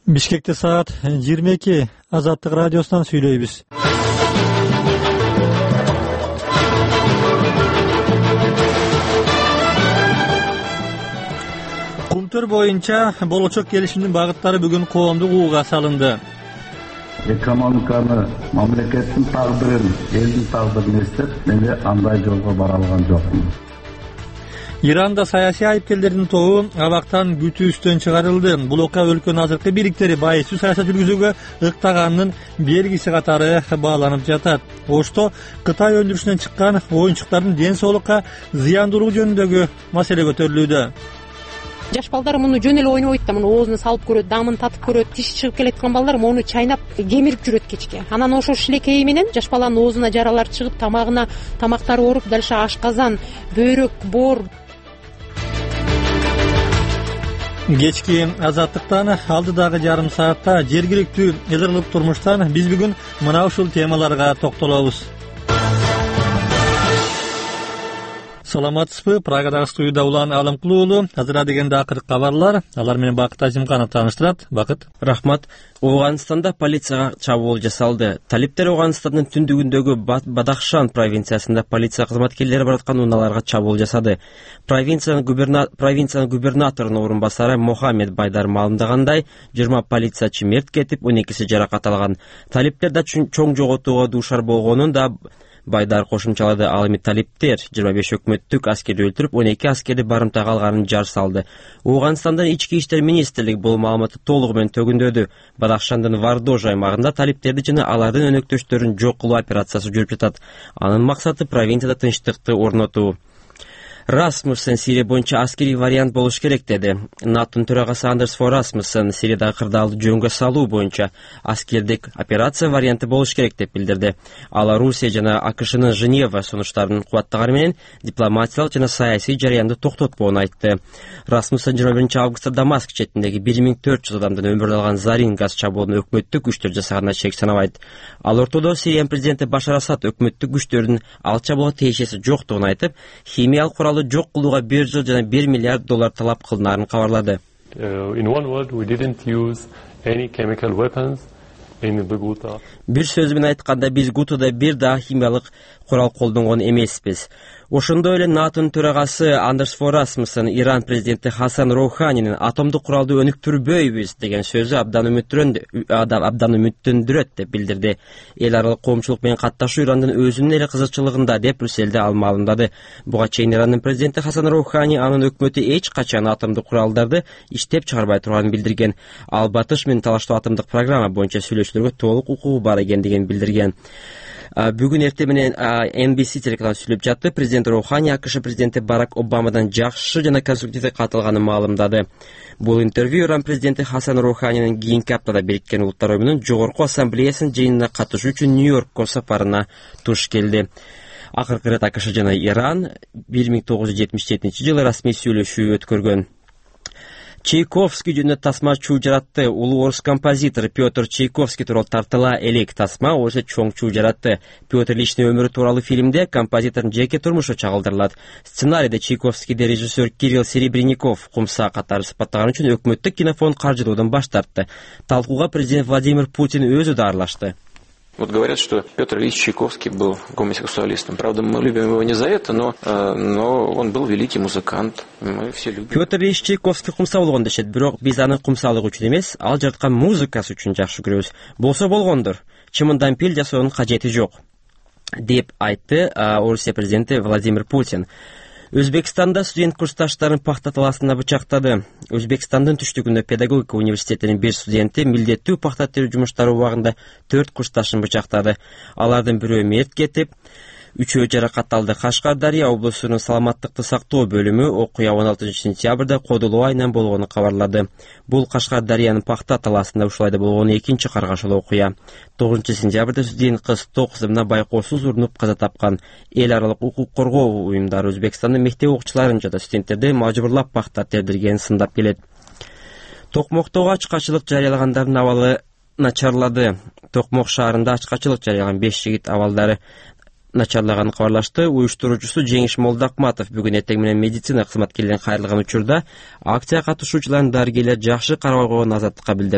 Бишкекте саат 22 Азаттык радиосунан сүйлөйбүз. Кумтөр боюнча болочок келишимдин багыттары бүгүн коомдук угууга салынды. Экономиканы, мамлекеттин тагдырын, элдин тагдырын эстеп, мен андай жолго бара алган жокмун. Иранда саясий айыпкерлердин тобу абактан күтүүстөн чыгарылды. Бул окуя өлкөнүн азыркы бийликтери байсыз саясат жүргүзүүгө ыктаганын белгиси катары бааланып жатат. Ошто Кытай өндүрүшүнөн чыккан оюнчуктардын ден соолукка зыяндуулугу жөнүндөгү маселе көтөрүлүүдө. Жаш балдар муну жөн эле ойнобойт да, муну оозуна салып көрөт, дамын татып көрөт. Тиши чыгып келеткан балдар муну чайнап кемирип жүрөт кечке. Анан ошо шилекейи менен жаш баланын оозуна жаралар чыгып, тамактары ооруп, дальше ашказан, бөйрөк, боор. Кечки Азаттыктан алдыдагы жарым саатта жергиликтүү ылдырлык турмуштан биз бүгүн мына ушул темаларга токтолобуз. Саламатсызбы? Прагадагы студияда Улан Алымкулуу уулу. Азыр дегенде акыркы кабарлар. Алар менен Бакыт Азимканов тааныштырат. Бакыт. Рахмат. Ооганстанда полицияга чабуул жасалды. Талиптер Ооганстандын түндүгүндөгү Бадахшан провинциясында полиция кызматкерлери бараткан унааларга чабуул жасады. Провинциянын губернаторунун орун басары Мохаммед Байдар маалымдагандай, 20 полициячы мерт кетип, 12си жаракат алган. Талиптер да чоң жоготууга дуушар болгонун да Байдар кошумчалады. Ал эми талиптер 25 өкмөттүк аскерди өлтүрүп, 12 аскерди барымтага алганын жар салды. Ооганстандын ички иштер министрлиги бул маалыматты толугу менен төгүндөдү. Бадахшандын Вардож аймагында талиптерди жана алардын өнөктөштөрүн жок кылуу операциясы жүрүп жатат. Анын максаты провинцияда тынчтыкты орнотуу. Расмуссен Сирия боюнча аскерий вариант болуш керек деди. НАТОнун төрагасы Андерс Фор Расмуссен Сириядагы кырдаалды жөнгө салуу боюнча аскердик операция варианты болуш керек деп билдирди. Ал Русия жана АКШнын Женева сунуштарын кубаттаганы менен дипломатиялык жана саясий жарыянды токтотпоону айтты. Расмуссен 21 августта Дамаск четиндеги 1400 адамдын өмүрүн алган Зарин газ чабуулун өкмөттүк күчтөр жасаганына чек санабайт. Ал ортодо Сириянын президенти Башар Асад өкмөттүк күчтөрдүн ал чабуулга тиешеси жоктугун айтып, химиялык курал жок кылууга 1 жыл жана $1 миллиард талап кылынаарын кабарлады. Бир сөз менен айтканда, биз Гутада бир да химиялык курал колдонгон эмеспиз. Ошондой эле НАТОнун төрагасы Андерс Фор Расмуссен Иран президенти Хасан Роуханинин атомдук куралды өнүктүрбөйбүз деген сөзү абдан үмүттөндүрөт деп билдирди. Эл аралык коомчулук менен катташуу Ирандын өзүнүн эле кызыкчылыгында деп Брюсселде ал маалымдады. Буга чейин Ирандын президенти Хасан Роухани анын өкмөтү эч качан атомдук куралдарды иштеп чыгарбай турганын билдирген. Ал батыш менен талаштуу атомдук программа боюнча сүйлөшүүлөргө толук укугу бар экендигин билдирген. Бүгүн эртең менен NBC телеканалы сүйлөп жатты. Президент Роухани АКШ президенти Барак Обамадан жакшы жана конструктивдүү кат алганын маалымдады. Бул интервью Иран президенти Хасан Роуханинин кийинки аптада Бириккен Улуттар Уюмунун жогорку ассамблеясынын жыйынына катышуу үчүн Нью-Йоркко сапарына туш келди. Акыркы ирет АКШ жана Иран 1977-жылы расмий сүйлөшүү өткөргөн. Чайковский жөнүндө тасма чуу жаратты. Улуу орус композитор Петр Чайковский тууралуу тартыла элек тасма өсө чоң чуу жаратты. Петр Ильичтин өмүрү тууралуу фильмде композитордун жеке турмушу чагылдырылат. Сценарийде Чайковскийди режиссер Кирилл Серебренников кумса катары сыпаттаган үчүн өкмөттүк кинофонд каржылоодон баш тартты. Талкууга президент Владимир Путин өзү да аралашты. Вот говорят, что Петр Ильич Чайковский был гомосексуалистом. Правда, мы любим его не за это, но он был великий музыкант. Мы все любим. Петр Ильич Чайковский кумса болгон дешет, бирок биз аны кумсалыгы үчүн эмес, ал жараткан музыкасы үчүн жакшы көрөбүз. Болсо болгондур. Чымындан пил жасоонун кажети жок, деп айтты Орусия президенти Владимир Путин. Өзбекстанда студент курсташтарын пахта талаасында бычактады. Өзбекстандын түштүгүндө педагогика университетинин бир студенти милдеттүү пахта терүү жумуштары убагында 4 курсташын бычактады. Алардын бирөө мерт кетип, 3-өө жаракат алды. Кашкардария облусунун саламаттыкты сактоо бөлүмү окуя 16 сентябрда Кодулуу айынан болгону кабарлады. Бул Кашкардариянын пахта талаасында ушулайда болгон экинчи каргашылуу окуя. 9 сентябрда студент кыз ток кызына байкоосуз урунуп каза тапкан. Эл аралык укук коргоо уюмдары Өзбекстандын мектеп окуучуларын жана студенттерди мажбурлап пахта тердиргенин сындап келет. Токмоктогу ачкачылык жарыялагандардын абалы начарлады. Токмок шаарында ачкачылык жарыялаган 5 жигит абалдары начарлаганын кабарлашты. Уюштуруучусу Жеңиш Молдакматов бүгүн эртең менен медицина кызматкерлерин кайрылган учурда акция катышуучуларын дарыгерлер жакшы карабай койгонун Азаттыкка билдирди.